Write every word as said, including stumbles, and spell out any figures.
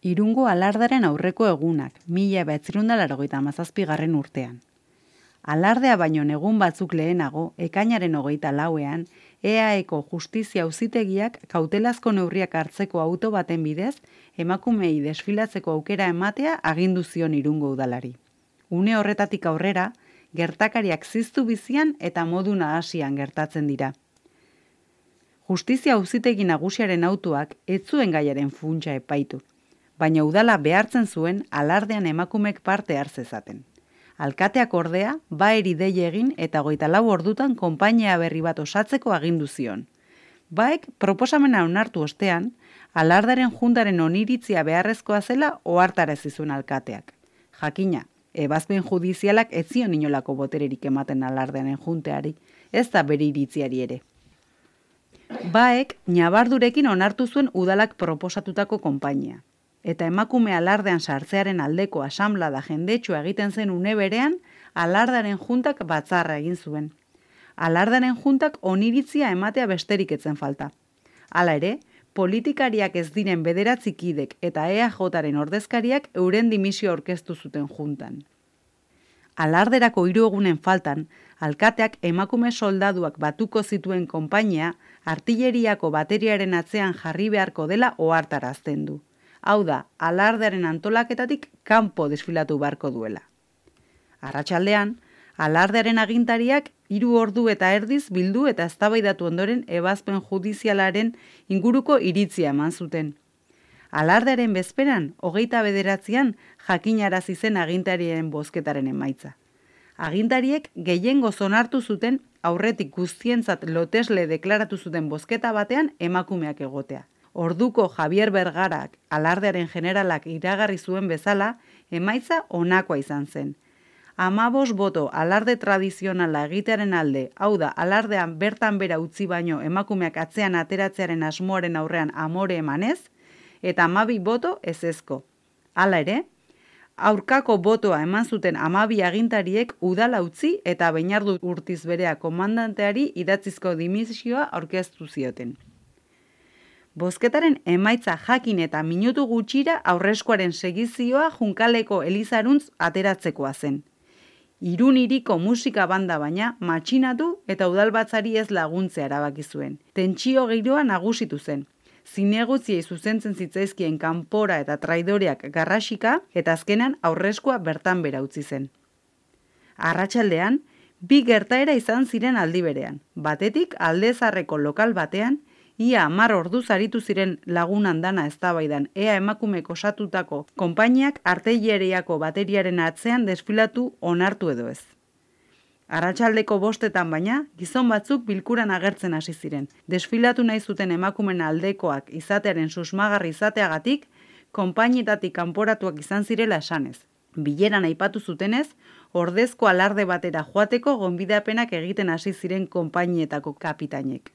Irungo alardaren aurreko egunak, mila bederatziehun eta laurogeita hamazazpigarren urtean. Alardea baino egun batzuk lehenago, ekainaren hogeita lauean, E A Eko justizia auzitegiak kautelazko neurriak hartzeko auto baten bidez, emakumeei desfilatzeko aukera ematea agindu zion Irungo udalari. Une horretatik aurrera, gertakariak ziztu bizian eta modu nahasian gertatzen dira. Justizia auzitegi nagusiaren autoak ez zuen gaiaren funtsa epaitu, baina udala behartzen zuen alardean emakumek parte hartzezaten. Alkateak ordea, baeri dei egin eta hogeita lau ordutan konpainia berri bat osatzeko agindu zion. Baek proposamena onartu ostean, alardaren juntaren oniritzia beharrezkoa zela ohartarazi zuen alkateak. Jakina, ebazpen judizialak ez zion inolako botererik ematen alardearen junteari, ez da bere iritziari ere. Baek ñabardurekin onartu zuen udalak proposatutako konpainia. Eta emakume alardean sartzearen aldeko asanblada jendetsua egiten zen une berean, alardaren juntak batzarra egin zuen. Alardaren juntak oniritzia ematea besterik etzen falta. Hala ere, politikariak ez diren bederatzi kidek eta E A Jaren ordezkariak euren dimisio aurkeztu zuten juntan. Alarderako hiru egunen faltan, alkateak emakume soldaduak batuko zituen konpainia artilleriako bateriaren atzean jarri beharko dela ohartarazten du. Hau da, alardearen antolaketatik kanpo desfilatu beharko duela. Arratsaldean, alardearen agintariak hiru ordu eta erdiz bildu eta eztabaidatu ondoren ebazpen judizialaren inguruko iritzia eman zuten. Alardearen bezperan, hogeita bederatzian jakinarazi zen agintarien bozketaren emaitza. Agintariek gehiengoz onartu zuten aurretik guztientzat lotesle deklaratu zuten bozketa batean emakumeak egotea. Orduko Javier Bergarak alardearen generalak iragarri zuen bezala, emaitza honakoa izan zen. Hamabost boto alarde tradizionala egitearen alde, hau da, alardean bertan bera utzi baino emakumeak atzean ateratzearen asmoaren aurrean amore emanez, eta hamabi boto ezezko. Hala ere, aurkako botoa eman zuten hamabi agintariek udala utzi eta Beñardu Urtizberea komandanteari idatzizko dimisioa aurkeztu zioten. Bozketaren emaitza jakin eta minutu gutxira aurreskoaren segizioa Junkaleko Elizaruntz ateratzekoa zen. Irun hiriko musika banda baina matxinatu eta udalbatzari ez laguntzea erabaki zuen. Tentsio giroa nagusitu zen. Zinegotziei zuzentzen zitzaizkien kanpora eta traidoreak garrasika eta azkenan aurreskoa bertan bera utzi zen. Arratsaldean, bi gertaera izan ziren aldi berean. Batetik Aldezarreko lokal batean, ia hamar orduz aritu ziren lagun andana eztabaidan ea emakumek osatutako konpainiak artilleriako bateriaren atzean desfilatu onartu edo ez. Arratsaldeko bostetan baina, gizon batzuk bilkuran agertzen hasi ziren. Desfilatu nahi zuten emakumen aldekoak izatearen susmagarri izateagatik, konpainietatik kanporatuak izan zirela esanez. Bileran aipatu zutenez, ordezko alarde batera joateko gonbidapenak egiten hasi ziren konpainietako kapitainek.